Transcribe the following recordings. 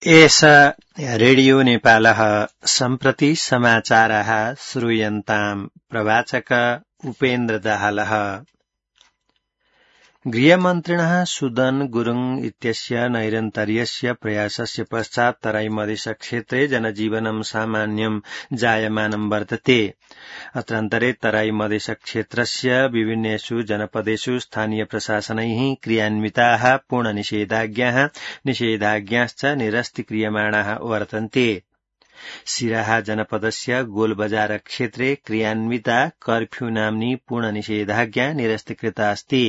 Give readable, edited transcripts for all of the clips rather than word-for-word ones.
एष रेडियो नेपालः सम्प्रति समाचारः श्रूयन्ताम् प्रवाचक उपेन्द्र दाहालः। गृहमन्त्रिणः सुदन गुरुङ इत्यस्य नैरन्तर्यस्य प्रयासस्य पश्चात् तराई मधेशक्षेत्रे जनजीवनं सामान्यं जायमानं वर्तते। अत्रान्तरे तराई मधेशक्षेत्रस्य विभिन्नेषु जनपदेषु स्थानीय प्रशासनैः क्रियान्विताः पूर्णनिषेधाज्ञाश्च निरस्तीक्रियमाणाः वर्तन्ते। सिराहा जनपदस्य गोलबजार क्षेत्रे क्रियान्विता कर्फ्यू नाम्नी पूर्णनिषेधाज्ञा निरस्तीकृता अस्ति।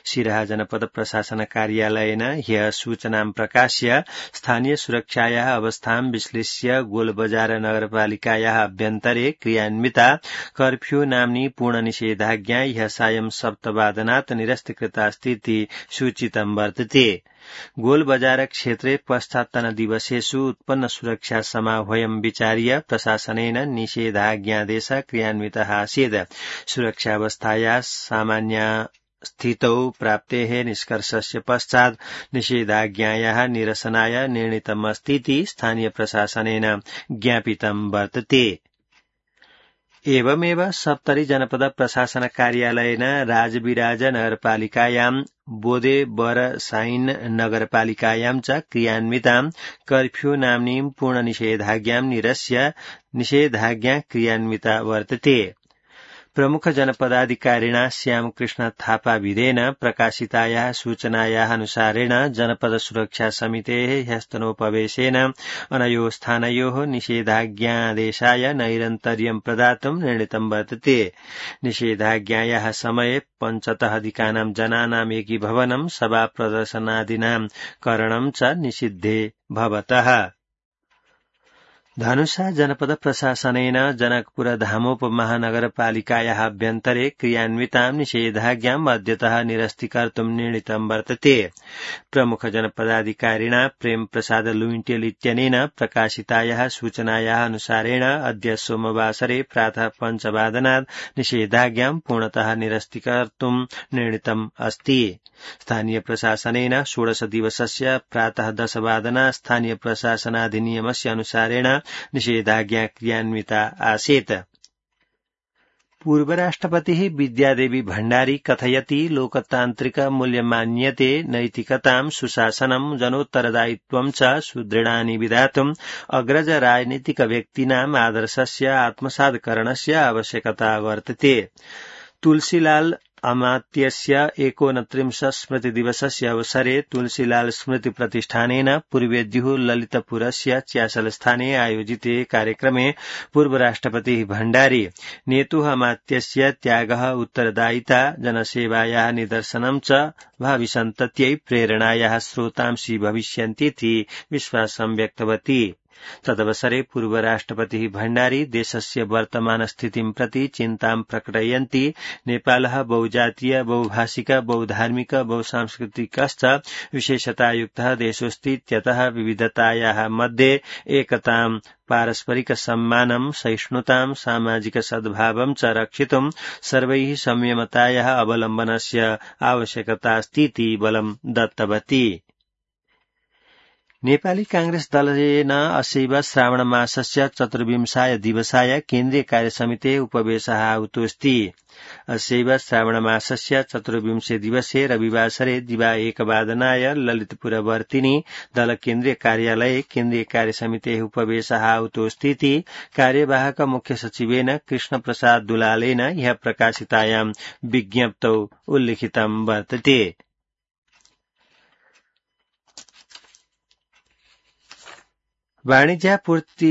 सिराहा जनपद प्रशासन कार्यालयेन ह्यः सूचनां प्रकाश्य स्थानीय सुरक्षायाः अवस्थां विश्लेष्य गोलबजार नगरपालिकायाः अभ्यन्तरे क्रियान्विता कर्फ्यू नाम्नी पूर्णनिषेधाज्ञा ह्यः सायं 7:00 निरस्तीकृतास्ति इति सूचितं वर्तते। गोलबजार क्षेत्रे पश्चात्तनदिवसेषु उत्पन्न सुरक्षा समाह्वयं विचार्य प्रशासनेन निषेधाज्ञादेश क्रियान्वितः आसीत्। सुरक्षावस्थायाः सामान्य स्थितौ प्राप्तेः निष्कर्षस्य पश्चात् निषेधाज्ञायाः निरसनाय निर्णीतमस्ति इति स्थानीय प्रशासनेन ज्ञापितं वर्तते। एवमेव सप्तरी जनपद प्रशासन कार्यालयेन राजविराज नगरपालिकायां बोदे बरसाइन नगरपालिकायां च क्रियान्वितां कर्फ्यू नाम्नीं पूर्णनिषेधाज्ञां निरस्य निषेधाज्ञा क्रियान्विता वर्तते। प्रमुख जनपदाधिकारिणा श्यामकृष्ण थापाविदेन प्रकाशितायाः सूचनायाः अनुसारेण जनपद सुरक्षा समितेः ह्यस्तनोपवेशेन अनयोः स्थानयोः निषेधाज्ञादेशाय नैरन्तर्यं प्रदातुं निर्णीतं वर्तते। निषेधाज्ञायाः समये पञ्चतः जनानाम् एकीभवनं सभा प्रदर्शनादीनां करणं च निषिद्धे भवतः। धनुषा जनपद प्रशासनेन जनकपुर धामोपमहानगरपालिकायाः अभ्यन्तरे क्रियान्वितां निषेधाज्ञाम् अद्यतः निरस्तीकर्तुं निर्णीतं वर्तते। प्रमुख जनपदाधिकारिणा प्रेम प्रसाद लुइटेल इत्यनेन प्रकाशितायाः सूचनायाः अनुसारेण अद्य सोमवासरे प्रातः 5:00 निषेधाज्ञां पूर्णतः निरस्तीकर्तुं निर्णीतम् अस्ति। स्थानीय प्रशासनेन 16 दिवसस्य प्रातः 10:00 स्थानीय प्रशासनाधिनियमस्य अनुसारेण निषेधाज्ञा क्रियान्विता आसीत्। पूर्वराष्ट्रपतिः विद्यादेवी भण्डारी कथयति लोकतान्त्रिक मूल्यमान्यते नैतिकतां सुशासनं जनोत्तरदायित्वं च सुदृढानि विधातुम् अग्रज राजनीतिक व्यक्तीनाम् आदर्शस्य आत्मसात्करणस्य आवश्यकता वर्तते। तुलसीलाल अमात्यस्य 39 स्मृतिदिवसस्य अवसरे तुलसीलाल स्मृति प्रतिष्ठानेन पूर्वेद्युः ललितपुरस्य च्यासलस्थाने आयोजिते कार्यक्रमे पूर्वराष्ट्रपतिः भण्डारी नेतुः अमात्यस्य त्यागः उत्तरदायिता जनसेवायाः निदर्शनं च भाविसन्तत्यै प्रेरणायाः स्रोतांसि भविष्यन्तीति विश्वासं व्यक्तवती। तदवसरे पूर्वराष्ट्रपतिः भण्डारी देशस्य वर्तमानस्थितिं प्रति चिन्तां प्रकटयन्ती नेपालः बहुजातीय बहुभाषिक बहुधार्मिक बहुसांस्कृतिकश्च विशेषतायुक्तः देशोऽस्ति इत्यतः विविधतायाः मध्ये एकतां पारस्परिक सम्मानं सहिष्णुतां सामाजिक सद्भावं च रक्षितुं सर्वैः संयमतायाः अवलम्बनस्य आवश्यकता अस्तीति बलं दत्तवती। नेपाली कांग्रेस दलेन असैव श्रावण मासस्य 24 दिवसाय केन्द्रीय कार्यसमितेः उपवेशः आहूतोऽस्ति। असैव श्रावण मासस्य 24 दिवसे रविवासरे दिवा 1:00 ललितपुरवर्तिनि दल केन्द्रीय कार्यालये केन्द्रीय कार्यसमितेः उपवेशः आहूतोऽस्ति इति कार्यवाहक मुख्य सचिवेन कृष्ण प्रसाद दुलालेन ह्यः प्रकाशितायां विज्ञप्तौ उल्लिखितं वर्तते। वाणिज्यापूर्ति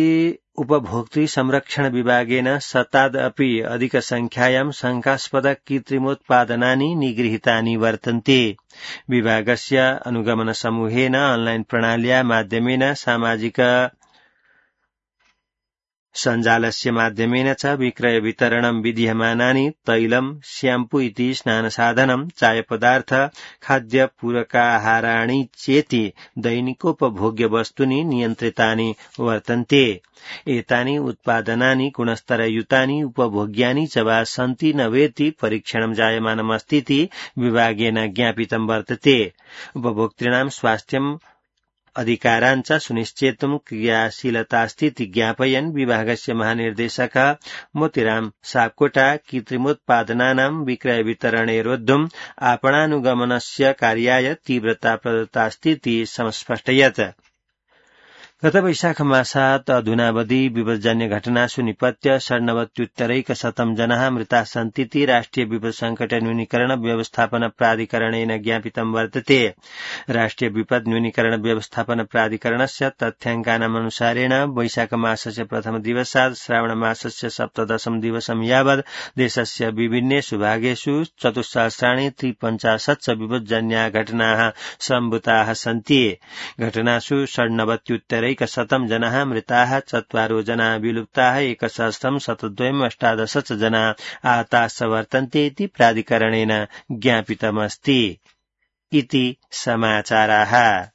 उपभोक्तृ संरक्षण विभागेन शतादपि अधिकसंख्यायां शंकास्पद कृत्रिमोत्पादनानि निगृहीतानि वर्तन्ते। विभागस्य अनुगमन समूहेन ऑनलाइन प्रणाल्या माध्यमेन सामाजिक सञ्जालस्य माध्यमेन च विक्रय वितरणं विधीयमानानि तैलं श्याम्पू इति स्नानसाधनं चायपदार्थ खाद्यपूरकाहाराणि चेति दैनिकोपभोग्य वस्तूनि नियन्त्रितानि वर्तन्ते। एतानि उत्पादनानि गुणस्तरयुतानि उपभोग्यानि च वा सन्ति न वेति परीक्षणं जायमानमस्तीति विभागेन ज्ञापितं वर्तते। उपभोक्तॄणां स्वास्थ्यं अधिकाराञ्च सुनिश्चेतुं क्रियाशीलतास्तीति ज्ञापयन् विभागस्य महानिर्देशक मोतीराम सापकोटा कृत्रिमोत्पादनानां विक्रय वितरणेरोद्धुम् आपणानुगमनस्य कार्याय तीव्रता प्रदत्तास्तीति समस्पष्टयत्। गत वैशाख मासात् अधुनावधि विपदजन्य घटनासु निपत्य 97,100 जनाः मृताः सन्तीति राष्ट्रिय विपद संकट न्यूनीकरण व्यवस्थापन प्राधिकरणेन ज्ञापितं वर्तते। राष्ट्रिय विपद न्यूनीकरण व्यवस्थापन प्राधिकरणस्य तथ्याङ्कानाम् अनुसारेण वैशाख मासस्य प्रथम दिवसात् श्रावण मासस्य 17 दिवसं यावत् देशस्य विभिन्नेषु भागेषु 4,53 विपदजन्या घटनाः सम्भूताः सन्ति। घटनासु 97,100 जनाः मृताः, 4 जनाः विलुप्ताः, 1,118 जनाः आहताश्च वर्तन्ते इति प्राधिकरणेन ज्ञापितमस्ति। इति समाचाराः।